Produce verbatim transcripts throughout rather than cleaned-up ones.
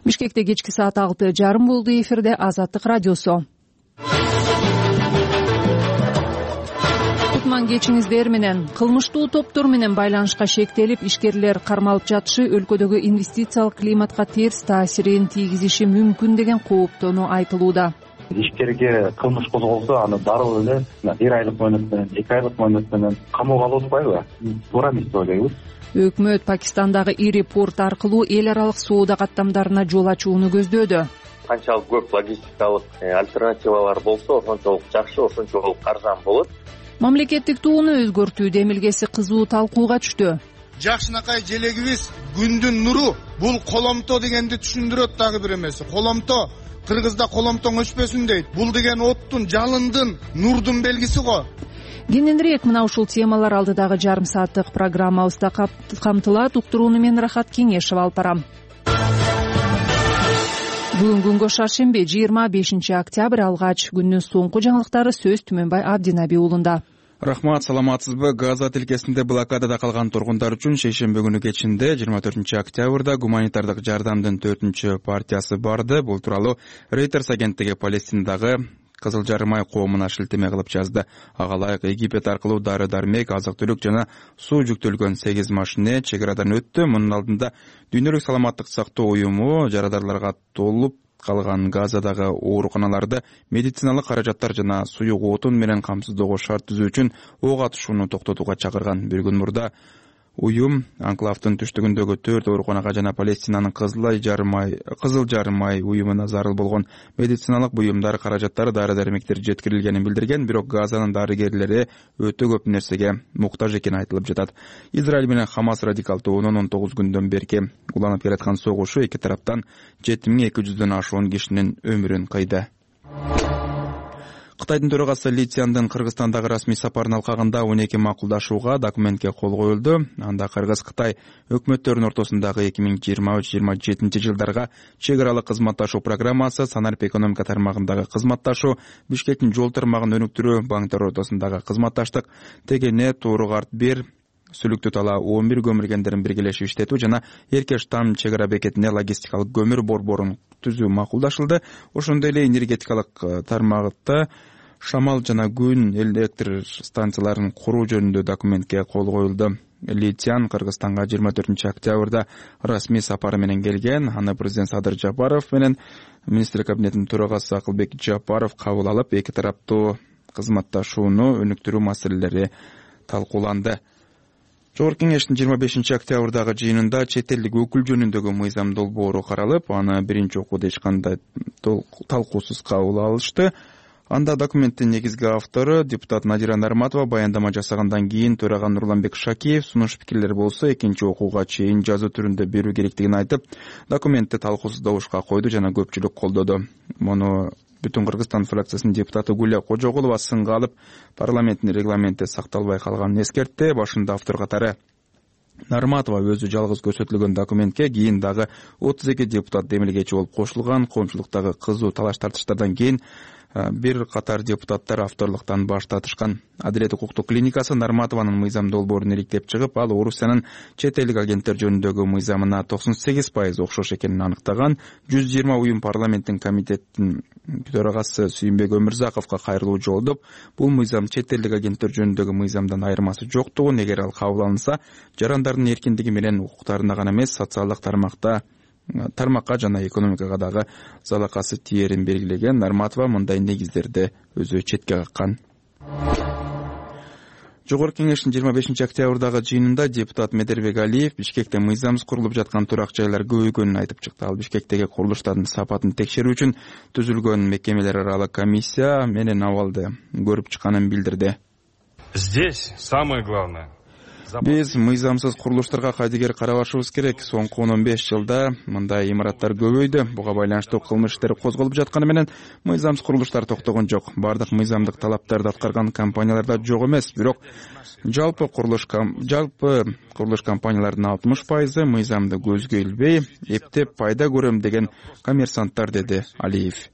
Бишкекте кечки саат алты жарым болду. Эфирде Азаттык радиосу. Кутман кечиңиздер менен. Кылмыштуу топтор менен байланышка шектелип, ишкерлер кармалып жатышы өлкөдөгү инвестициялык климатка терс таасирин тийгизиши мүмкүн деген кооптонуу айтылууда. Ишкерге кылмыш козголсо, аны дароо эле бир айлык мөөнөт менен, эки айлык мөөнөт менен камоого алып атпайбы? Туура эмес деп ойлойбуз. Өкмөт Пакистандагы ири порт аркылуу эл аралык соода каттамдарына жол ачууну көздөөдө. Канчалык көп логистикалык альтернативалар болсо, ошончолук жакшы, ошончолук арзан болот. Мамлекеттик тууну өзгөртүү демилгеси кызуу талкууга түштү. Жакшынакай желегибиз күндүн нуру, бул коломто дегенди түшүндүрөт дагы бир эмеси. Коломто Кыргызда коломтоң өчпөсүн дейт. Бул деген оттун, жалындын, нурдун белгиси го. Кененирээк мына ушул темалар алдыдагы жарым сааттык программабызда камтылат. Уктурууну мен Рахат Кеңешев алып барам. Бүгүн күнгө шаршемби, жыйырма бешинчи октябрь, алгач күндүн соңку жаңылыктары сөз Түмөнбай Абдинаби уулунда. Рахмат, саламатсызбы? Газа тилкесинде блокадада калган тургундар үчүн шейшемби күнү кечинде жыйырма төртүнчү октябрда гуманитардык жардамдын төртүнчү партиясы барды. Бул тууралуу Reuters агенттиги Палестинадагы Кызыл Жарым ай коомуна шилтеме кылып жазды. Ага ылайык Египет аркылуу дары-дармек, азык-түлүк жана суу жүктөлгөн сегиз машине чек арадан өттү. Мунун алдында Дүйнөлүк саламаттык сактоо уюму жарадарларга толуп калган Газадагы ооруканаларды медициналык каражаттар жана суюк отун менен камсыздоого шарт түзүү үчүн ок атышууну токтотууга чакырган. Бир күн мурда уюм анклавдын түштүгүндөгү төрт ооруканага жана Палестинанын Кызыл Жарым ай Кызыл Жарым ай уюмуна зарыл болгон медициналык буюмдар, каражаттар, дары-дармектер жеткирилгенин билдирген, бирок Газанын дарыгерлери өтө көп нерсеге муктаж экени айтылып жатат. Израиль менен Хамас радикал тобунун он тогуз күндөн берки уланып келаткан согушу эки тараптан жети миң эки жүздөн ашуун кишинин өмүрүн кыйды. Кытайдын төрагасы Ли Цзяндын Кыргызстандагы расмий сапарын алкагында он эки макулдашууга, документке кол коюлду. Анда Кыргыз-Кытай өкмөттөрүнүн ортосундагы эки миң жыйырма үч жыйырма жетинчи жылдарга чек аралык кызматташуу программасы, санарип экономика тармагындагы кызматташуу, Бишкектин жол тармагын өнүктүрүү, банктар ортосундагы кызматташтык, Тегене, Тууругарт бир, Сүлүктү тала он бир көмүргендерин биргелешип иштетүү жана Эркеш там чек ара бекетине логистикалык көмүр борборун түзүү макулдашылды. Ошондой эле энергетикалык тармакта шамал жана күн электр станцияларын куруу жөнүндө документке кол коюлду. Ли Цзян Кыргызстанга жыйырма төртүнчү октябрда расмий сапары менен келген. Аны президент Садыр Жапаров менен министрлик кабинетинин төрагасы Акылбек Жапаров кабыл алып, эки тараптуу кызматташууну өнүктүрүү маселелери талкууланды. Жогорку кеңештин жыйырма бешинчи октябрдагы жыйынында чет элдик өкүл жөнүндөгү мыйзам долбоору каралып, аны биринчи окууда эч кандай талкуусуз кабыл алышты. Анда документтин негизги автору депутат Надира Нарматова баяндама жасагандан кийин төрага Нурланбек Шакиев сунуш пикирлер болсо экинчи окууга чейин жазуу түрүндө берүү керектигин айтып, документти талкуусуздабышка койду жана көпчүлүк колдоду. Муну Бүтүн Кыргызстан фракциясынын депутаты Гүлия Кожогулова сынга алып, парламенттин регламенти сакталбай калганын эскертти. Башында автор катары Нарматова өзү жалгыз көрсөтүлгөн документке кийин дагы отуз эки депутат демилгечи болуп кошулган. Коомчулуктагы кызуу талаш тартыштардан кийин бир катар депутаттар авторлуктан баш тартышкан. Адилет укуктук клиникасы Нарматованын мыйзам долбоорун иликтеп чыгып, ал Орусиянын чет элдик агенттер жөнүндөгү мыйзамына токсон сегиз пайыз окшош экенин аныктаган. жүз жыйырма уюм парламенттин комитеттин төрагасы Сүйүнбек Өмүрзаковго кайрылуу жолдоп, бул мыйзам чет элдик агенттер жөнүндөгү мыйзамдан айырмасы жоктугун, эгер ал кабыл алынса, жарандардын эркиндиги менен укуктарына гана эмес, социалдык тармакта тармакка жана экономикага дагы залакасы тиерин белгилеген. Нарматова мындай негиздерди өзү четке каккан. Жогорку кеңештин жыйырма бешинчи октябрдагы жыйынында депутат Медербек Алиев Бишкекте мыйзамсыз курулуп жаткан турак жайлар көбөйгөнүн айтып чыкты. Ал Бишкектеги курулуштардын сапатын текшерүү үчүн түзүлгөн мекемелер аралык комиссия менен абалды көрүп чыкканын билдирди. Здесь самое главное. Биз мыйзамсыз курулуштарга кайдыгер карабашыбыз керек. Соңку он он беш жылда мындай имараттар көбөйдү. Буга байланыштуу кылмыш иштери козголуп жатканы менен мыйзамсыз курулуштар токтогон жок. Бардык мыйзамдык талаптарды аткарган компанияларда жок эмес, бирок жалпы курулуш жалпы курулуш компанияларынын алтымыш пайызы мыйзамды көзгө илбей, эптеп пайда көрөм деген коммерсанттар, деди Алиев.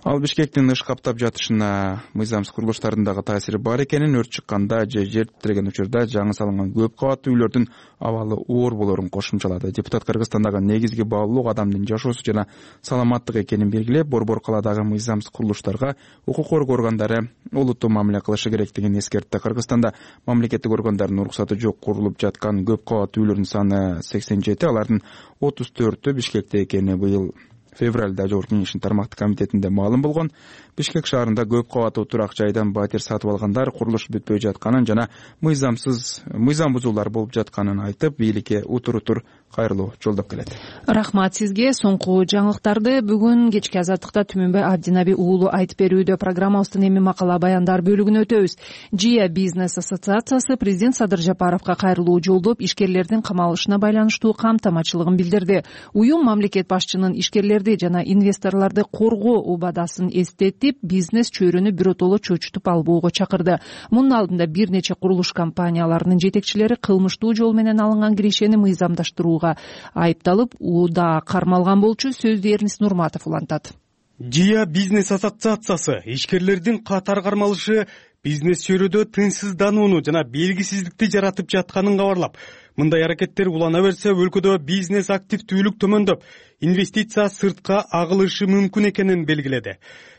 Ал Бишкектин ыш каптап жатышына мыйзамсыз курулуштардын дагы таасири бар экенин, өрт чыкканда же жер титиреген учурда жаңы салынган көп кабаттуу үйлөрдүн абалы оор болорун кошумчалады. Депутат Кыргызстандагы негизги баалуулук адамдын жашоосу жана саламаттыгы экенин белгилеп, борбор калаадагы мыйзамсыз курулуштарга укук коргоо органдары олуттуу мамиле кылышы керектигин эскертти. Кыргызстанда мамлекеттик органдардын уруксаты жок курулуп жаткан көп кабаттуу үйлөрдүн саны сексен жети, алардын отуз төртү Бишкекте экени быйыл февралда Жогорку Кеңештин тармактык комитетинде маалым болгон. Бишкек шаарында көп кабаттуу турак жайдан батир сатып алгандар курулуш бүтпөй жатканын жана мыйзамсыз мыйзам бузуулар болуп жатканын айтып, бийликке утур-утур кайрылуу жолдоп келет. Рахмат сизге. Соңку жаңылыктарды бүгүн кечки азаттыкта Түмөнбай Абдинаби уулу айтып берүүдө. Программабыздын эми макала баяндар бөлүгүнө өтөбүз. Жия бизнес ассоциациясы президент Садыр Жапаровго кайрылуу жолдоп, ишкерлердин камалышына байланыштуу камтамачылыгын билдирди. Уюм мамлекет башчынын ишкерлерди жана инвесторлорду коргоо убадасын эстетип, бизнес чөйрөнү биротоло чөчүтүп албоого чакырды. Мунун алдында бир нече курулуш компанияларынын жетекчилери кылмыштуу жол менен алынган кирешени мыйзамдаштырууга айыпталып, ууда кармалган болчу. Сөздү Эрнис Нурматов улантат. Жия бизнес ассоциациясы ишкерлердин катар кармалышы бизнес чөйрөдө тынчсызданууну жана белгисиздикти жаратып жатканын кабарлап, мындай аракеттер улана берсе өлкөдө бизнес активдүүлүк төмөндөп, инвестиция сыртка агылышы мүмкүн экенин белгиледи.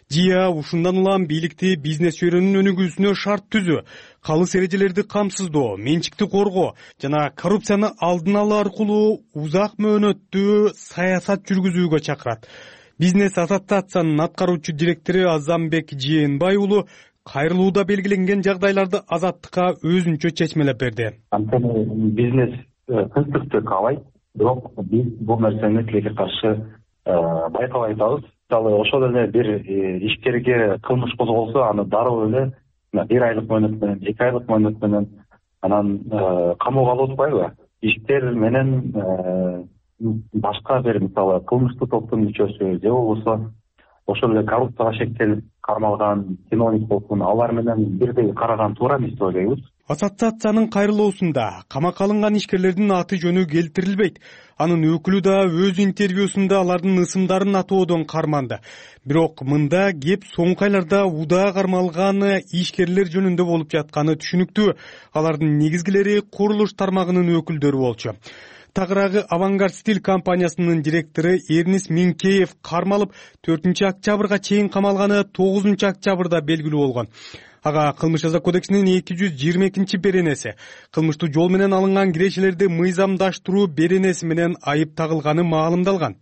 Жия ушундан улам бийликти бизнес чөйрөнүн өнүгүүсүнө шарт түзүү, калыс эрежелерди камсыздоо, менчикти коргоо жана коррупцияны алдын алуу аркылуу узак мөөнөттүү саясат жүргүзүүгө чакырат. Бизнес ассоциациянын аткаруучу директору Азамбек Жээнбай уулу кайрылууда белгиленген жагдайларды азаттыкка өзүнчө чечмелеп берди. Анткени бизнес тынчтыкты каалайт, бирок биз бул нерсени тилекке каршы байкабай атабыз. Мисалы, ошол эле бир ишкерге кылмыш козголсо, аны дароо эле бир айлык мөөнөт менен, эки айлык мөөнөт менен анан камоого алып атпайбы? Иштер менен башка бир, мисалы, кылмыштуу топтун мүчөсү же болбосо ошол эле коррупцияга шектелип кармалган чиновник болсун, алар менен бирдей караган туура эмес деп ойлойбуз. Ассоциациянын кайрылуусунда камакка алынган ишкерлердин аты жөнү келтирилбейт. Анын өкүлү да өз интервьюсунда алардын ысымдарын атоодон карманды. Бирок мында кеп соңку айларда удаа кармалган ишкерлер жөнүндө болуп жатканы түшүнүктүү. Алардын негизгилери курулуш тармагынын өкүлдөрү болчу. Тагыраагы Авангард Стиль компаниясынын директору Эрнис Минкеев кармалып, төртүнчү октябрга чейин камалганы тогузунчу октябрда белгилүү болгон. Ага кылмыш жаза кодексинин эки жүз жыйырма экинчи беренеси кылмыштуу жол менен алынган кирешелерди мыйзамдаштыруу беренеси менен айып тагылганы маалымдалган.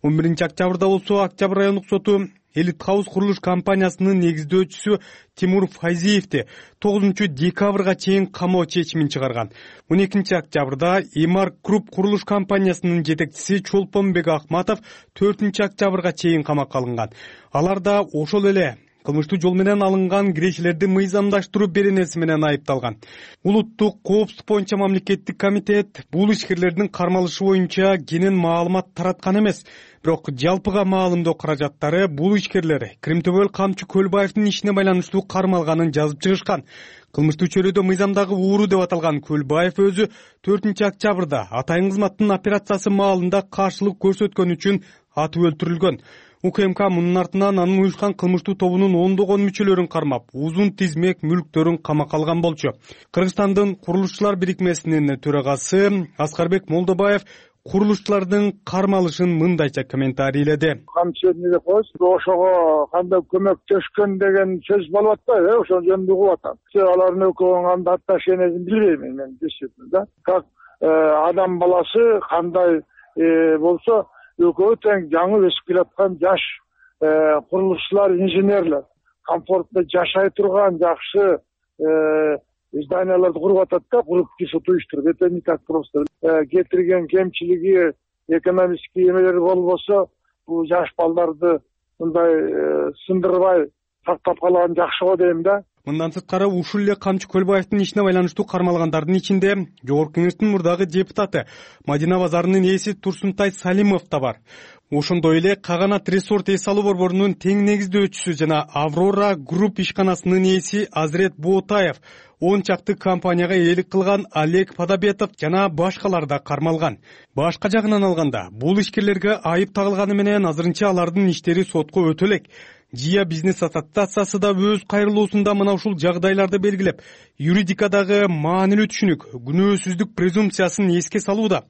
он биринчи октябрда болсо Октябрь райондук соту Элит Хаус курулуш компаниясынын негиздөөчүсү Тимур Файзиевди тогузунчу декабрга чейин камоо чечимин чыгарган. он экинчи октябрда Имар Круп курулуш компаниясынын жетекчиси Чолпонбек Ахматов төртүнчү октябрга чейин камакка алынган. Алар да ошол эле кылмыштуу жол менен алынган кирешелерди мыйзамдаштыруу беренеси менен айыпталган. Улуттук коопсуздук боюнча мамлекеттик комитет бул ишкерлердин кармалышы боюнча кенен маалымат тараткан эмес. Бирок жалпыга маалымдоо каражаттары бул ишкерлер Кримтөбөл Камчы Көлбаевдин ишине байланыштуу кармалганын жазып чыгышкан. Кылмыштуу чөйрөдө мыйзамдагы ууру деп аталган Көлбаев өзү төртүнчү октябрда атайын кызматтын операциясы маалында каршылык көрсөткөн үчүн атып өлтүрүлгөн. УКМК мунун артынан анын уюшкан кылмыштуу тобунун ондогон мүчөлөрүн кармап, узун тизмек мүлктөрүн камакка алган болчу. Кыргызстандын курулушчулар бирикмесинин төрагасы Аскарбек Молдобаев курулушчулардын кармалышын мындайча комментарийледи. Камчы эмне деп коесуз? Ошого кандай көмөктөшкөн деген сөз болуп атпайбы, э? Ошол жөнүндө угуп атам. Алардын экөөнүн кандай отношениясын билбейм мен, действительно да. Как адам баласы кандай болсо экөө тең жаңы өсүп келаткан жаш курулушчулар, инженерлер комфортто жашай турган жакшы зданияларды куруп атат да, куруп киши уюштуруп. Это не так просто. Кетирген кемчилиги, экономический эмелери болбосо, бул жаш балдарды мындай сындырбай сактап калган жакшы го дейм да. Мындан сырткары ушул эле Камчы Көлбаевдин ишине байланыштуу кармалгандардын ичинде Жогорку Кеңештин мурдагы депутаты Мадина базарынын ээси Турсунтай Салимов да бар. Ошондой эле Каганат Resort эс алуу борборунун тең негиздөөчүсү жана Аврора Групп ишканасынын ээси Азрет Боотаев, он чакты компанияга ээлик кылган Олег Подобетов жана башкалар да кармалган. Башка жагынан алганда, бул ишкерлерге айып тагылганы менен азырынча алардын иштери сотко өтө элек. Жия бизнес ассоциациясы да өз кайрылуусунда мына ушул жагдайларды белгилеп, юридикадагы маанилүү түшүнүк, күнөөсүздүк презумпциясын эске салууда.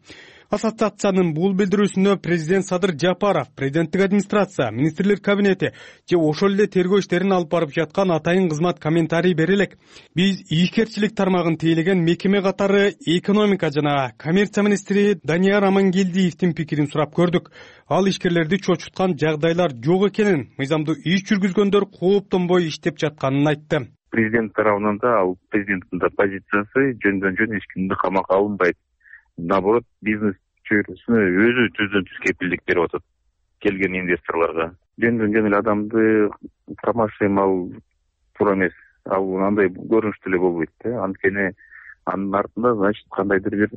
Ассоциациянын бул билдирүүсүнө президент Садыр Жапаров, президенттик администрация, министрлер кабинети же ошол эле тергөө иштерин алып барып жаткан атайын кызмат комментарий бере элек. Биз ишкерчилик тармагын тейлеген мекеме катары экономика жана коммерция министри Данияр Амангелдиевдин пикирин сурап көрдүк. Ал ишкерлерди чочуткан жагдайлар жок экенин, мыйзамдуу иш жүргүзгөндөр кооптонбой иштеп жатканын айтты. Президент тарабынан да, ал президенттин да позициясы жөндөн жөн эч кимди камакка алынбайт. Наоборот, бизнес чөйрөсүнө өзү түздөн түз кепилдик берип атат келген инвесторлорго. Жөндөн жөн эле адамды промоушен ал туура эмес. Ал андай көрүнүштүү эле болбойт да. Анткени анын артында значит кандайдыр бир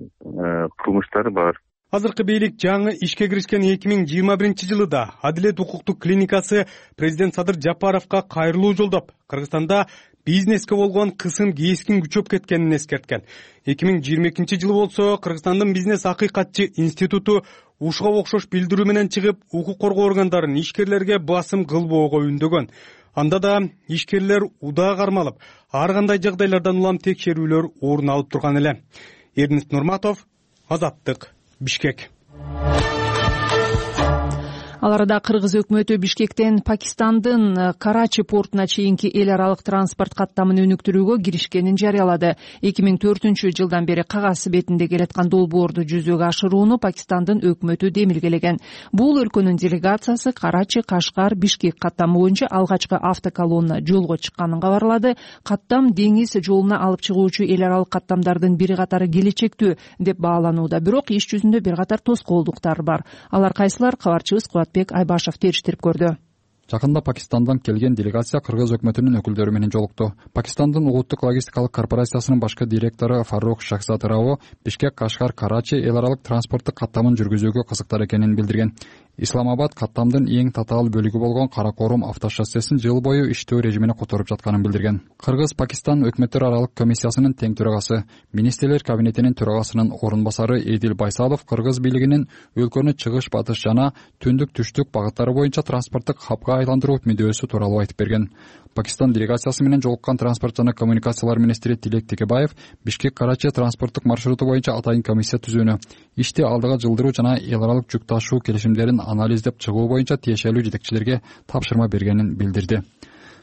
кылмыштар бар. Азыркы бийлик жаңы ишке киришкен эки миң жыйырма биринчи жылыда Адилет укуктук клиникасы президент Садыр Жапаровго кайрылуу жолдоп, Кыргызстанда бизнеске болгон кысым кескин күчөп кеткенин эскерткен. эки миң жыйырма экинчи жылы болсо Кыргызстандын бизнес акыйкатчы институту ушуга окшош билдирүү менен чыгып, укук коргоо органдарын ишкерлерге басым кылбоого үндөгөн. Анда да ишкерлер удаа кармалып, ар кандай жагдайлардан улам текшерүүлөр орун алып турган эле. Эрнест Нурматов, Азаттык, Бишкек. Ал арада Кыргыз өкмөтү Бишкектен Пакистандын Карачи портуна чейинки эл аралык транспорт каттамын өнүктүрүүгө киришкенин жарыялады. эки миң төртүнчү жылдан бери кагаз бетинде келаткан долбоорду жүзөгө ашырууну Пакистандын өкмөтү демилгелеген. Бул өлкөнүн делегациясы Карачи, Кашкар, Бишкек каттамы боюнча алгачкы автоколонна жолго чыкканын кабарлады. Каттам деңиз жолуна алып чыгуучу эл аралык каттамдардын бири катары келечектүү деп бааланууда. Бирок иш жүзүндө бир катар тоскоолдуктар бар. Алар кайсылар? Кабарчыбыз Кубатбек Айбашев териштирип көрдү. Жакында Пакистандан келген делегация Кыргыз өкмөтүнүн өкүлдөрү менен жолукту. Пакистандын улуттук логистикалык корпорациясынын башкы директору Фарук Шахзад Рао Бишкек, Кашкар, Карачи эл аралык транспорттук каттамын жүргүзүүгө кызыктар экенин билдирген. Исламабад каттамдын эң татаал бөлүгү болгон Каракорум автошоссесин жыл бою иштөө режимине которуп жатканын билдирген. Кыргыз-Пакистан өкмөттөр аралык комиссиясынын тең төрагасы, министрлер кабинетинин төрагасынын орун басары Эдил Байсалов Кыргыз бийлигинин өлкөнү чыгыш, батыш жана түндүк, түштүк багыттары боюнча транспорттук хабга айландыруу мүдөөсү тууралуу айтып берген. Пакистан делегациясы менен жолуккан транспорт жана коммуникациялар министри Тилек Текебаев Бишкек-Карачи транспорттук маршруту боюнча атайын комиссия түзүүнү, ишти алдыга жылдыруу жана эл аралык жүк ташуу келишимдерин анализдеп чыгуу боюнча тиешелүү жетекчилерге тапшырма бергенин билдирди.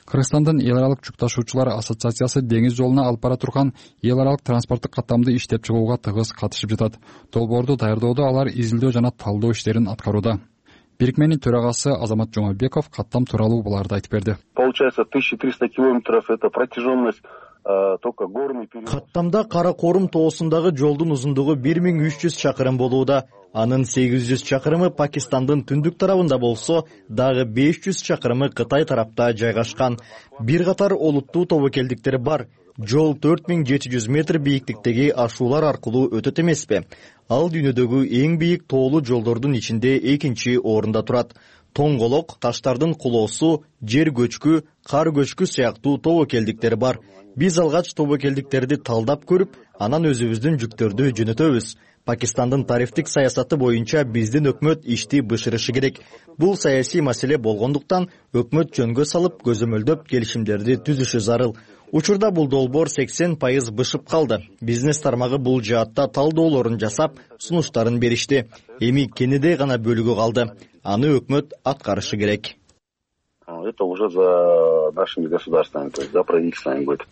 Кыргызстандын эл аралык жүк ташуучулар ассоциациясы деңиз жолуна алып бара турган эл аралык транспорттук каттамды иштеп чыгууга тыгыз катышып жатат. Долбоорду даярдоодо алар изилдөө жана талдоо иштерин аткарууда. Бирикменин төрагасы Азамат Жумабеков каттам тууралуу буларды айтып берди. Получается тысяча триста километров это протяженность только горный период. Каттамда Каракорум тоосундагы жолдун узундугу бир миң үч жүз чакырым болууда. Анын сегиз жүз чакырымы Пакистандын түндүк тарабында болсо, дагы беш жүз чакырымы Кытай тарапта жайгашкан. Бир катар олуттуу тобокелдиктер бар. Жол төрт миң жети жүз метр бийиктиктеги ашуулар аркылуу өтөт эмеспи? Ал дүйнөдөгү эң бийик тоолуу жолдордун ичинде экинчи орунда турат. Тоңголок, таштардын кулоосу, жер көчкү, кар көчкү сыяктуу тобокелдиктер бар. Биз алгач тобокелдиктерди талдап көрүп, анан өзүбүздүн жүктөрдү жөнөтөбүз. Пакистандын тарифтик саясаты боюнча биздин өкмөт ишти бышырышы керек. Бул саясий маселе болгондуктан өкмөт жөнгө салып, көзөмөлдөп келишимдерди түзүшү зарыл. Учурда бул долбоор сексен пайыз бышып калды. Бизнес тармагы бул жаатта талдоолорун жасап, сунуштарын беришти. Эми кенедей гана бөлүгү калды. Аны өкмөт аткарышы керек. Это уже за нашими государствами, то есть за правительствами будет.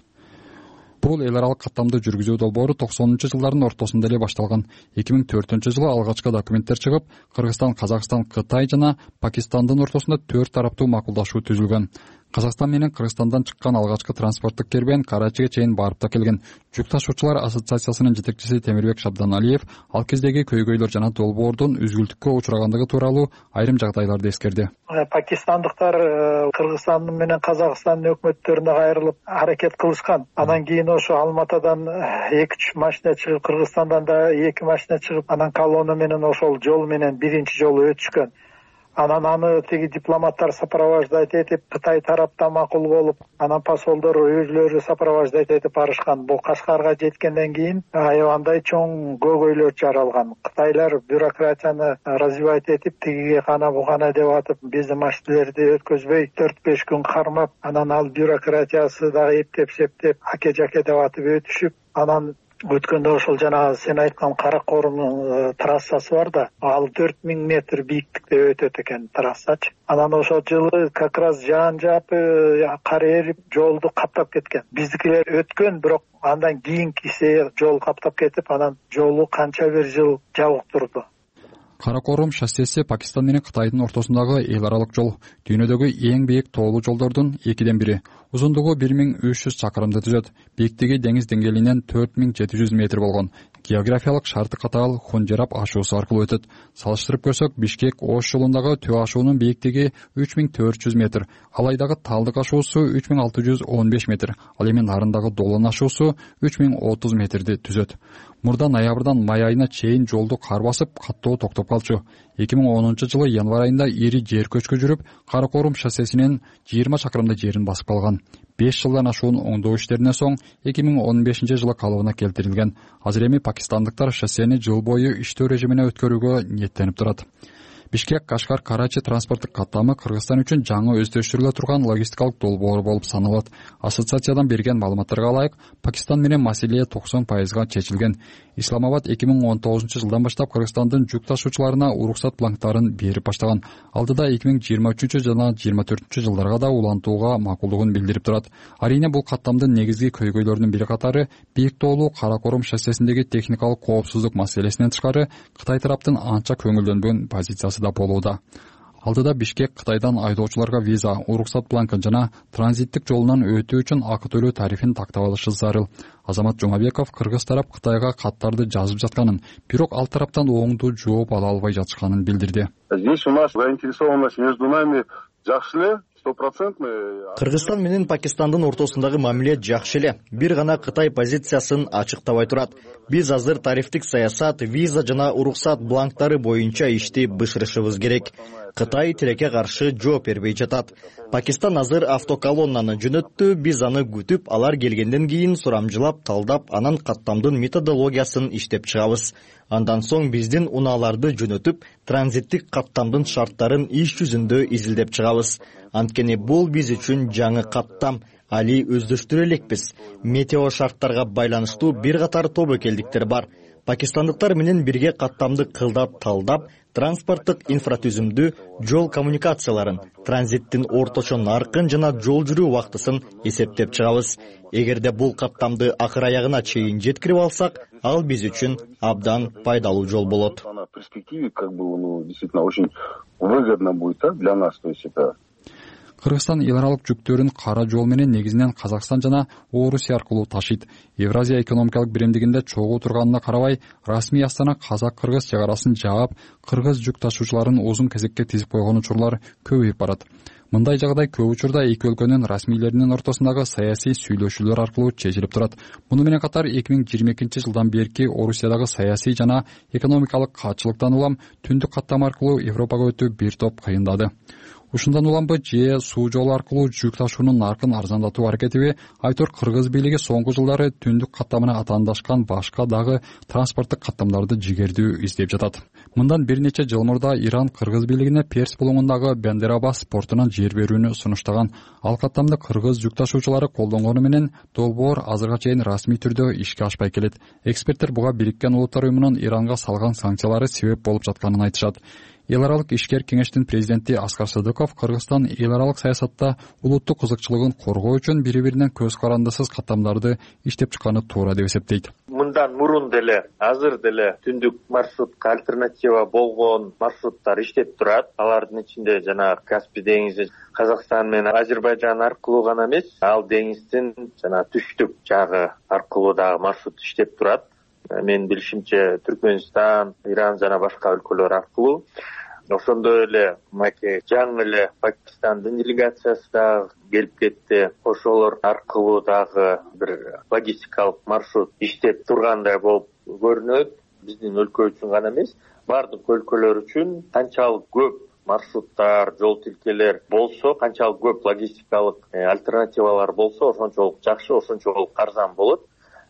Бул эл аралык каттамды жүргүзүү долбоору токсонунчу жылдардын ортосунда эле башталган. эки миң төртүнчү жылы алгачкы документтер чыгып, Кыргызстан, Казакстан, Кытай жана Пакистандын ортосунда төрт тараптуу макулдашуу түзүлгөн. Казакстан менен Кыргызстандан чыккан алгачкы транспорттук кербен Карачиге чейин барып да келген. Жүк ташуучулар ассоциациясынын жетекчиси Темирбек Шабданалиев ал кездеги көйгөйлөр жана долбоордун үзгүлтүккө учурагандыгы тууралуу айрым жагдайларды эскерди. Пакистандыктар Кыргызстан менен Казакстандын өкмөттөрүнө кайрылып аракет кылышкан. Анан кийин ошо Алматадан эки үч машина чыгып, Кыргызстандан да эки машина чыгып, анан колонна менен ошол жол менен биринчи жолу өтүшкөн. Анан аны тиги дипломаттар сопровождать этип, Кытай тарапта макул болуп, анан посолдор өзүлөрү сопровождать этип барышкан. Бул Кашкарга жеткенден кийин аябандай чоң көйгөйлөр жаралган. Кытайлар бюрократияны развивать этип, тигиге кана бугана деп атып, биздин машиналерди өткөзбөй төрт беш күн кармап, анан ал бюрократиясы дагы эптеп септеп, аке жаке деп атып өтүшүп, анан өткөндө ошол жана сен айткан Каракорумдун трассасы бар да, ал төрт миң метр бийиктикте өтөт экен трассачы. Анан ошол жылы как раз жаан жаап, кар эрип, жолду каптап кеткен. Биздикилер өткөн, бирок андан кийинкиси жол каптап кетип, анан жолу канча бир жыл жабык турду. Каракорум шоссеси Пакистан менен Кытайдын ортосундагы эл аралык жол, дүйнөдөгү эң бийик тоолуу жолдордун экиден бири. Узундугу бир миң үч жүз чакырымды түзөт. Бийиктиги деңиз деңгээлинен төрт миң жети жүз метр болгон. Географиялык шарты катаал Хунжерап ашуусу аркылуу өтөт. Салыштырып көрсөк, Бишкек-Ош жолундагы Төө ашуунун бийиктиги үч миң төрт жүз метр. Алайдагы Талдык ашуусу үч миң алты жүз он беш метр. Ал эми Нарындагы Долон ашуусу үч миң отуз метрди түзөт. Мурда ноябрдан май айына чейин жолду кар басып, каттоо токтоп калчу. эки миң онунчу жылы январь айында ири жер көчкү жүрүп, Каракорум шоссесинен жыйырма чакырымда жерин басып калган. беш жылдан ашуун оңдоо иштеринен соң эки миң он бешинчи жылы калыбына келтирилген. Азыр эми пакистандыктар шоссени жыл бою иштөө режимине өткөрүүгө ниеттенип турат. Бишкек Кашкар Карачи транспорттук каттамы Кыргызстан үчүн жаңы өздөштүрүлө турган логистикалык долбоор болуп саналат. Ассоциациядан берген маалыматтарга ылайык, Пакистан менен маселе токсон пайызга чечилген. Исламабад эки миң он тогузунчу жылдан баштап Кыргызстандын жүк ташуучуларына уруксат бланктарын берип баштаган. Алдыда эки миң жыйырма үчүнчү жана жыйырма төртүнчү жылдарга да улантууга макулдугун билдирип турат. Арийне бул каттамдын негизги көйгөйлөрүнүн бири катары бийик тоолуу Каракорум шоссесиндеги техникалык коопсуздук маселесинен тышкары Кытай тараптын анча көңүлдөнбөгөн позициясы да болууда. Алдыда Бишкек Кытайдан айдоочуларга виза, уруксат бланкы жана транзиттик жолунан өтүү үчүн акы төлөө тарифин тактап алышы зарыл. Азамат Жумабеков Кыргыз тарап Кытайга каттарды жазып жатканын, бирок ал тараптан оңдуу жооп ала албай жатышканын билдирди. Здесь у нас заинтересованность между нами жакшы эле. Кыргызстан менен Пакистандын ортосундагы мамиле жакшы эле. Бир гана Кытай позициясын ачыктабай турат. Биз азыр тарифтик саясат, виза жана уруксат бланктары боюнча ишти бышырышыбыз керек. Кытай тилекке каршы жооп бербей жатат. Пакистан азыр автоколоннаны жөнөттү, биз аны күтүп, алар келгенден кийин сурамжылап, талдап, анан каттамдын методологиясын иштеп чыгабыз. Андан соң биздин унааларды жөнөтүп, транзиттик каттамдын шарттарын иш жүзүндө изилдеп чыгабыз. Анткени бул биз үчүн жаңы каттам, али өздөштүрө элекпиз. Метео шарттарга байланыштуу бир катар тобокелдиктер бар. Пакистандыктар менен бирге каттамды кылдап талдап, транспорттук инфратүзүмдү, жол коммуникацияларын, транзиттин орточо наркын жана жол жүрүү убактысын эсептеп чыгабыз. Эгерде бул каттамды акыр аягына чейин жеткирип алсак, ал биз үчүн абдан пайдалуу жол болот. В перспективе как бы, ну, действительно очень выгодно будет для нас, то есть это Кыргызстан эл аралык жүктөрүн кара жол менен негизинен Казакстан жана Орусия аркылуу ташыйт. Евразия экономикалык биримдигинде чогуу турганына карабай, расмий Астана казак-кыргыз чек арасын жаап, кыргыз жүк ташуучуларын узун кезекке тизип койгон учурлар көбөйүп барат. Мындай жагдай көп учурда эки өлкөнүн расмийлеринин ортосундагы саясий сүйлөшүүлөр аркылуу чечилип турат. Муну менен катар эки миң жыйырма экинчи жылдан берки Орусиядагы саясий жана экономикалык катчылыктан улам түндүк каттама аркылуу Европага өтүү бир топ кыйындады. Ушундан уламбы же суу жолу аркылуу жүк ташуунун наркын арзандатуу аракетиби айтор кыргыз бийлиги соңку жылдары түндүк каттамына атаандашкан башка дагы транспорттук каттамдарды жигердүү издеп жатат. Мындан бир нече жыл мурда Иран кыргыз бийлигине Перс булуңундагы Бендерабас портунан жер берүүнү сунуштаган. Ал каттамды кыргыз жүк ташуучулары колдонгону менен долбоор азырга чейин расмий түрдө ишке ашпай келет. Эксперттер буга Бириккен Улуттар уюмунун Иранга салган санкциялары себеп болуп жатканын айтышат. Эл аралык ишкер кеңештин президенти Аскар Садыков Кыргызстан эл аралык саясатта улуттук кызыкчылыгын коргоо үчүн бири-биринен көз карандысыз каттамдарды иштеп чыкканы туура деп эсептейт. Мындан мурун деле, азыр деле түндүк маршрутка альтернатива болгон маршруттар иштеп турат. Алардын ичинде жана Каспий деңизи, Казакстан менен Азербайжан аркылуу гана эмес, ал деңиздин жана түштүк жагы аркылуу дагы маршрут иштеп турат. Мен билишимче Түркмөнстан, Иран жана башка өлкөлөр аркылуу. Ошондой эле маке жаңы эле Пакистандын делегациясы дагы келип кетти. Ошолор аркылуу дагы бир логистикалык маршрут иштеп тургандай болуп көрүнөт. Биздин өлкө үчүн гана эмес, бардык өлкөлөр үчүн канчалык көп маршруттар, жол тилкелер болсо, канчалык көп логистикалык альтернативалар болсо, ошончолук жакшы, ошончолук арзан болот,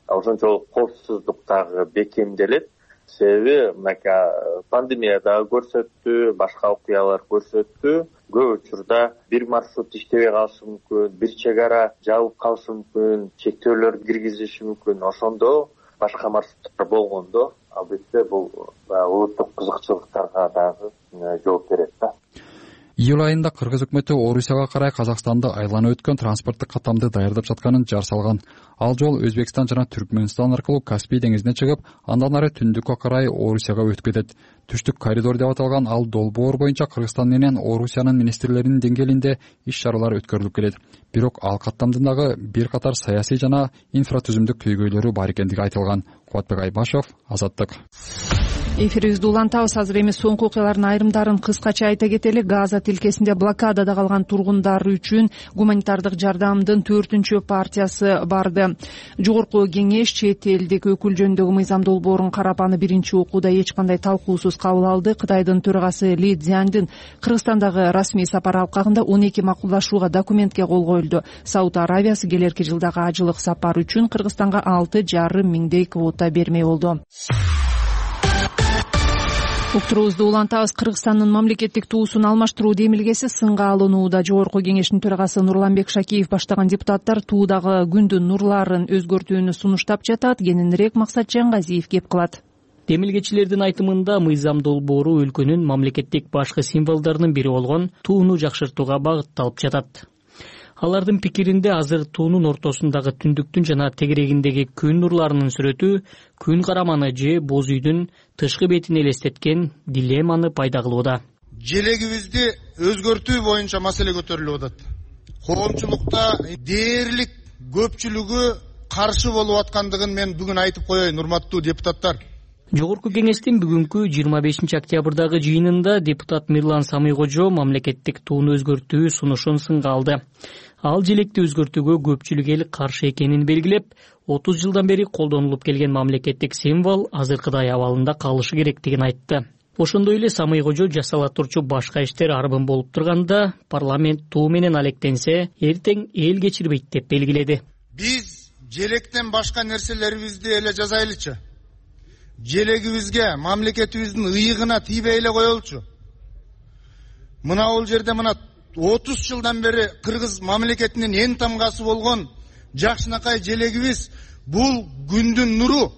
ошончолук коопсуздук дагы бекемделет. Себеби мынакей пандемия дагы көрсөттү, башка окуялар көрсөттү. Көп учурда бир маршрут иштебей калышы мүмкүн, бир чек ара жабылып калышы мүмкүн, чектөөлөр киргизиши мүмкүн. Ошондо башка маршруттар болгондо албетте бул улуттук кызыкчылыктарга дагы жооп берет да. Июль айында Кыргыз өкмөтү Орусияга карай Казакстанды айланып өткөн транспорттук каттамды даярдап жатканын жар салган. Ал жол Өзбекстан жана Түркмөнстан аркылуу Каспий деңизине чыгып, андан ары түндүккө карай Орусияга өтүп кетет. Түштүк коридор деп аталган ал долбоор боюнча Кыргызстан менен Орусиянын министрлеринин деңгээлинде иш-чаралар өткөрүлүп келет. Бирок ал каттамдын дагы бир катар саясий жана инфратүзүмдүк көйгөйлөрү бар экендиги айтылган. Кубатбек Айбашев, Азаттык. Эфирибизди улантабыз. Азыр эми соңку окуялардын айрымдарын кыскача айта кетели. Газа тилкесинде блокадада калган тургундар үчүн гуманитардык жардамдын төртүнчү партиясы барды. Жогорку кеңеш чет элдик өкүл жөнүндөгү мыйзам долбоорун карап, аны биринчи окууда эч кандай талкуусуз кабыл алды. Кытайдын төрагасы Ли Цзяндын Кыргызстандагы расмий сапары алкагында он эки макулдашууга документке кол коюлду. Сауд Аравиясы келерки жылдагы ажылык сапар үчүн Кыргызстанга алты жарым миңдей квота бермей болду. Уктурубузду улантабыз. Кыргызстандын мамлекеттик туусун алмаштыруу демилгеси сынга алынууда. Жогорку кеңештин төрагасы Нурланбек Шакиев баштаган депутаттар туудагы күндүн нурларын өзгөртүүнү сунуштап жатат. Кененирээк Максат Жангазиев кеп кылат. Демилгечилердин айтымында мыйзам долбоору өлкөнүн мамлекеттик башкы символдорунун бири болгон тууну жакшыртууга багытталып жатат. Алардын пикиринде азыр туунун ортосундагы түндүктүн жана тегерегиндеги күн нурларынын сүрөтү күн караманы же боз үйдүн тышкы бетин элестеткен дилемманы пайда кылууда. Желегибизди өзгөртүү боюнча маселе көтөрүлүп атат. Коомчулукта дээрлик көпчүлүгү каршы болуп аткандыгын мен бүгүн айтып коеюн, урматтуу депутаттар. Жогорку кеңештин бүгүнкү жыйырма бешинчи октябрдагы жыйынында депутат Мирлан Самыйкожо мамлекеттик тууну өзгөртүү сунушун сынга алды. Ал желекти өзгөртүүгө көпчүлүк эл каршы экенин белгилеп, отуз жылдан бери колдонулуп келген мамлекеттик символ азыркыдай абалында калышы керектигин айтты. Ошондой эле Самыйкожо жасала турчу башка иштер арбын болуп турганда парламент туу менен алектенсе, эртең эл кечирбейт деп белгиледи. Биз желектен башка нерселерибизди эле жазайлычы. Желегибизге, мамлекетибиздин ыйыгына тийбей эле коелучу. Мына бул жерде мына отуз жылдан бери Кыргыз мамлекетинин эң тамгасы болгон жакшынакай желегибиз бул күндүн нуру,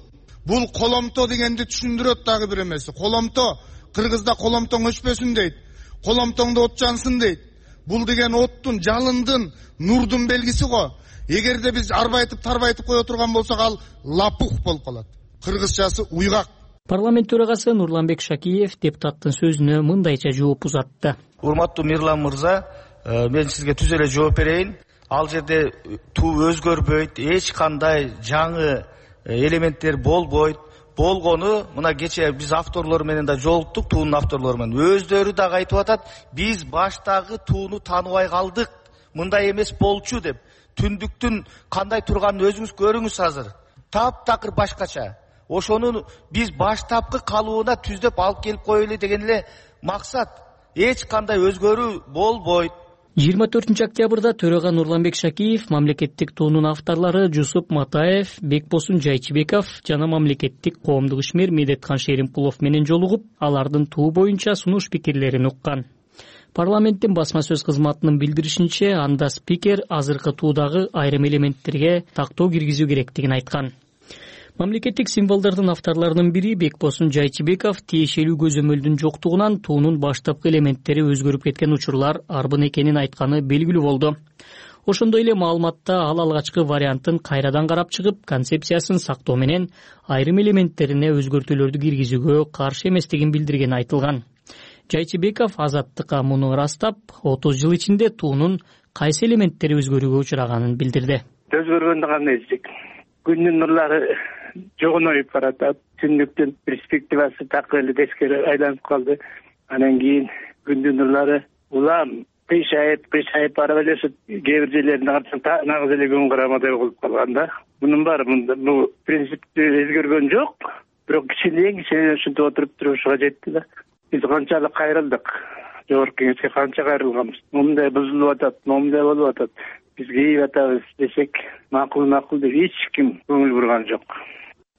бул коломто дегенди түшүндүрөт дагы бир эмеси. Коломто, Кыргызда коломтоң өчпөсүн дейт. Коломтоңдо от жансын дейт. Бул деген оттун, жалындын, нурдун белгиси го. Эгерде биз арбайтып, тарбайтып кое турган болсок, ал лапух болуп калат. Кыргызчасы уйгак. Парламент төрагасы Нурланбек Шакиев депутаттын сөзүнө мындайча жооп узатты. Урматтуу Мирлан мырза, мен сизге түз эле жооп берейин. Ал жерде туу өзгөрбөйт, эч кандай жаңы элементтер болбойт. Болгону мына кечээ биз авторлор менен да жолуктук, туунун авторлору менен. Өздөрү дагы айтып атат, биз баштагы тууну тааныбай калдык. Мындай эмес болчу деп. Түндүктүн кандай турганын өзүңүз көрүңүз азыр. Таптакыр башкача. Ошону биз баштапкы калыбына түздөп алып келип коелу деген эле максат. Эч кандай өзгөрүү болбойт. жыйырма төртүнчү октябрда төрага Нурланбек Шакиев, мамлекеттик туунун авторлору Жусуп Матаев, Бекбосун Жайчыбеков жана мамлекеттик коомдук ишмер Медеткан Шеримпулов менен жолугуп, алардын туу боюнча сунуш пикирлерин уккан. Парламенттин басма сөз кызматынын билдиришинче, анда спикер азыркы туудагы айрым элементтерге тактоо киргизүү керектигин айткан. Мамлекеттик символдордун авторлорунун бири Бекбосун Жайчыбеков тиешелүү көзөмөлдүн жоктугунан туунун баштапкы элементтери өзгөрүп кеткен учурлар арбын экенин айтканы белгилүү болду. Ошондой эле маалыматта ал алгачкы вариантын кайрадан карап чыгып, концепциясын сактоо менен айрым элементтерине өзгөртүүлөрдү киргизүүгө каршы эместигин билдиргени айтылган. Жайчыбеков Азаттыкка муну ырастап, отуз жыл ичинде туунун кайсы элементтери өзгөрүүгө учраганын билдирди. Өзгөргөндө кандай эсик? Күндүн нурлары жогоноюп баратат. Түндүктүн перспективасы такыр эле тескери айланып калды. Анан кийин күндүн нурлары улам кыйшайып, кыйшайып барып эле кээ бир жерлеринде карасаң нагыз эле күн карамадай болуп калган да. Мунун баары бул принципти өзгөргөн жок, бирок кичинекей кичинекей ушинтип отуруп турушуга жетти да. Биз канчалык кайрылдык. жогорку кеңешке канча кайрылганбыз, момундай бузулуп атат, момундай болуп атат, биз кейип атабыз десек, макул макул деп эч ким көңүл бурган жок.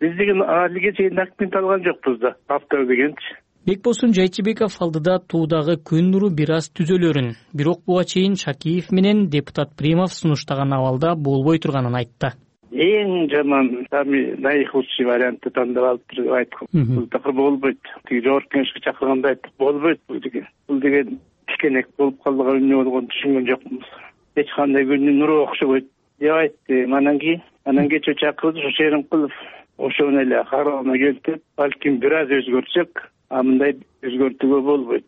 Биз деген алиге чейин документ алган жокпуз да, автор дегенчи. Бекбосун Жайчыбеков алдыда туудагы күн нуру бир аз түзөлөрүн, бирок буга чейин Шакиев менен депутат Примов сунуштаган абалда болбой турганын айтты. Эң жаман, самый наихудший вариантты тандап алыптыр деп айткам. Бул такыр болбойт. Тиги жогорку кеңешке чакырганда айттык, болбойт бул деген. Бул деген тикенек болуп калдыгы эмне болгонун түшүнгөн жокмуз. Эч кандай күндүн нуру окшобойт деп айтты. Анан кийин, анан кечээ чакырды ушу Шеримкулов ошону эле кароона келтирип, балким бир аз өзгөртсөк, а мындай өзгөртүүгө болбойт.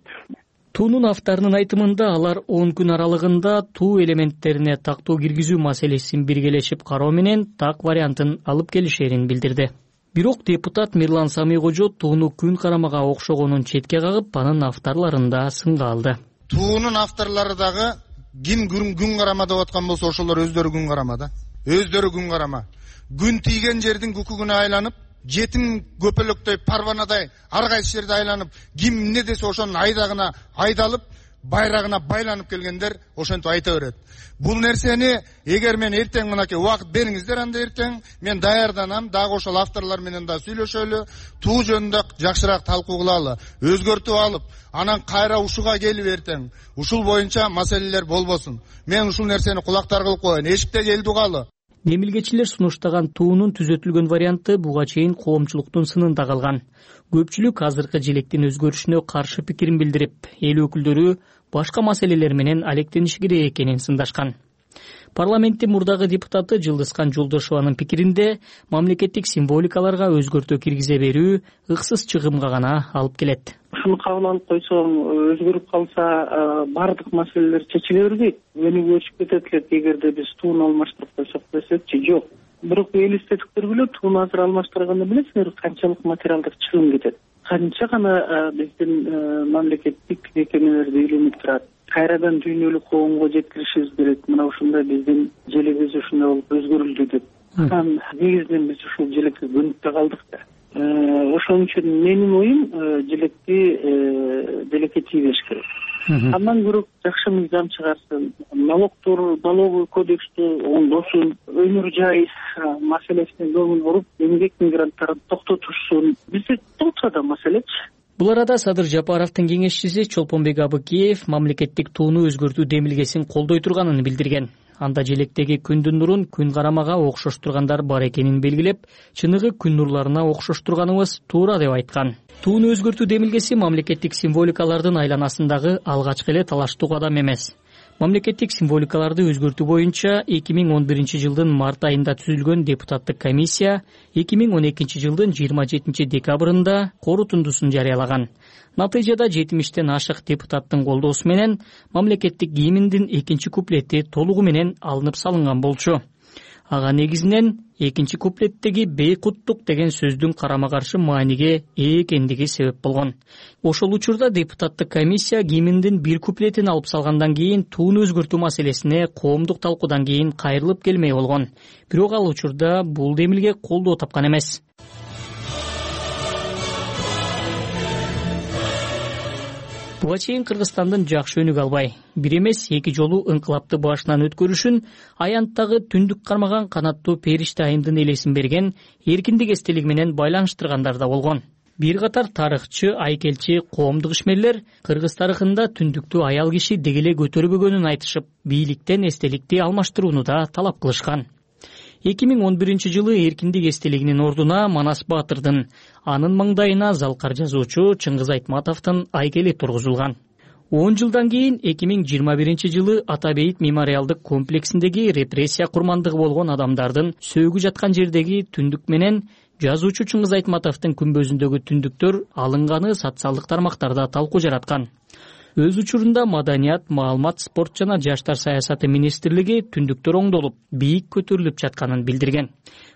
Туунун авторунун айтымында алар он күн аралыгында туу элементтерине тактоо киргизүү маселесин биргелешип кароо менен так вариантын алып келишерин билдирди. Бирок депутат Мирлан Самийкожо тууну күн карамага окшогонун четке кагып, анын авторлорун да сынга алды. Туунун авторлору дагы ким күн карама деп аткан болсо ошолор өздөрү күн карама да. Өздөрү күн карама. Күн тийген жердин күкүгүнө айланып, жетим көпөлөктөй парванадай ар кайсы жерде айланып, ким эмне десе ошонун айдагына айдалып, байрагына байланып келгендер ошентип айта берет. Бул нерсени эгер мен эртең мынакей убакыт бериңиздер, анда эртең мен даярданам, дагы ошол авторлор менен да сүйлөшөлү, туу жөнүндө жакшыраак талкуу кылалы, өзгөртүп алып, анан кайра ушуга келип эртең ушул боюнча маселелер болбосун. Мен ушул нерсени кулактар кылып коеюн, эшикте келди калы. Демилгечилер сунуштаган туунун түзөтүлгөн варианты буга чейин коомчулуктун сынында калган. Көпчүлүк азыркы желектин өзгөрүшүнө каршы пикирин билдирип, эл өкүлдөрү башка маселелер менен алектениши керек экенин сындашкан. Парламенттин мурдагы депутаты Жылдызкан Жолдошованын пикиринде мамлекеттик символикаларга өзгөртүү киргизе берүү ыксыз чыгымга гана алып келет. Ушуну кабыл алып койсоң, өзгөрүп калса бардык маселелер чечиле бербейт. Өнүгүү өчүп кетет элек эгерде биз тууну алмаштырып койсок десекчи, жок. Бирок элестетип көргүлө, тууну азыр алмаштырганда билесиңер канчалык материалдык чыгым кетет. Канча гана биздин мамлекеттик мекемелерди үйлөнүп турат. Кайрадан дүйнөлүк коомго жеткиришибиз керек. Мына ушундай биздин желегибиз ушундай болуп өзгөрүлдү деп. Анан негизинен биз ушул желекке көнүп да калдык да. Ошон үчүн менин оюм желекти желекке тийбеш керек. Андан көрө жакшы мыйзам чыгарсын, налогдор, налоговый кодексти оңдосун, өнөр жай маселесине көңүл буруп, эмгек мигранттарын токтотушсун. Бизде толтура да маселечи. Бул арада Садыр Жапаровдун кеңешчиси Чолпонбек Абыкеев мамлекеттик тууну өзгөртүү демилгесин колдой турганын билдирген. Анда желектеги күндүн нурун күн карамага окшоштургандар бар экенин белгилеп, чыныгы күн нурларына окшоштурганыбыз туура деп айткан. Тууну өзгөртүү демилгеси мамлекеттик символикалардын айланасындагы алгачкы эле талаштуу кадам эмес. Мамлекеттик символикаларды өзгөртүү боюнча эки миң он биринчи жылдын март айында түзүлгөн депутаттык комиссия эки миң он экинчи жылдын жыйырма жетинчи декабрында корутундусун жарыялаган. Натыйжада жетимиштен ашык депутаттын колдоосу менен мамлекеттик гимндин экинчи куплети толугу менен алынып салынган болчу. Ага негизинен экинчи куплеттеги бейкуттук деген сөздүн карама каршы мааниге ээ экендиги себеп болгон. Ошол учурда депутаттык комиссия гимндин бир куплетин алып салгандан кийин тууну өзгөртүү маселесине коомдук талкуудан кийин кайрылып келмей болгон. Бирок ал учурда бул демилге колдоо тапкан эмес. Буга чейин Кыргызстандын жакшы өнүгө албай, бир эмес эки жолу ыңкылапты башынан өткөрүшүн аянттагы түндүк кармаган канаттуу периште айымдын элесин берген эркиндик эстелиги менен байланыштыргандар да болгон. Бир катар тарыхчы, айкелчи, коомдук ишмерлер Кыргыз тарыхында түндүктү аял киши дегеле көтөрбөгөнүн айтышып, бийликтен эстеликти алмаштырууну да талап кылышкан. эки миң он биринчи жылы эркиндик эстелигинин ордуна Манас Баатырдын, анын маңдайына залкар жазуучу Чыңгыз Айтматовдун айкели тургузулган. он жылдан кийин эки миң жыйырма биринчи жылы Ата Бейит мемориалдык комплексиндеги репрессия курмандыгы болгон адамдардын сөөгү жаткан жердеги түндүк менен жазуучу Чыңгыз Айтматовдун күмбөзүндөгү түндүктөр алынганы социалдык тармактарда талкуу жараткан. Өз учурунда Маданият, Маалымат, спорт жана жаштар саясаты министрлиги түндүктөр оңдолуп, бийик көтөрүлүп жатканын билдирген.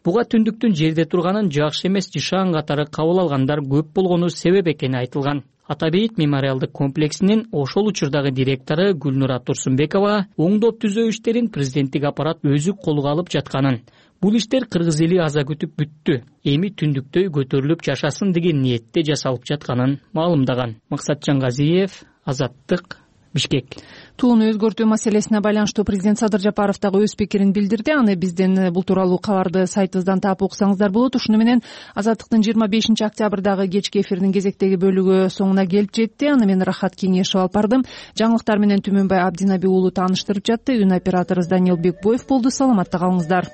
Буга түндүктүн жерде турганын жакшы эмес жышаан катары кабыл алгандар көп болгону себеп экени айтылган. Ата Бейит мемориалдык комплексинин ошол учурдагы директору Гүлнура Турсунбекова оңдоп түзөө иштерин президенттик аппарат өзү колго алып жатканын, бул иштер кыргыз эли аза күтүп бүттү, эми түндүктөй көтөрүлүп жашасын деген ниетте жасалып жатканын маалымдаган. Максатжан Газиев, Азаттык, Бишкек. Тууну өзгөртүү маселесине байланыштуу президент Садыр Жапаров дагы өз пикирин билдирди. Аны бизден бул тууралуу кабарды сайтыбыздан таап окусаңыздар болот. Ушуну менен Азаттыктын жыйырма бешинчи октябрдагы кечки эфирдин кезектеги бөлүгү соңуна келип жетти. Аны мен Рахат Кеңешев алып бардым. Жаңылыктар менен Түмөнбай Абдинаби уулу тааныштырып жатты. Үн операторубуз Даниил Бекбоев болду. Саламатта калыңыздар.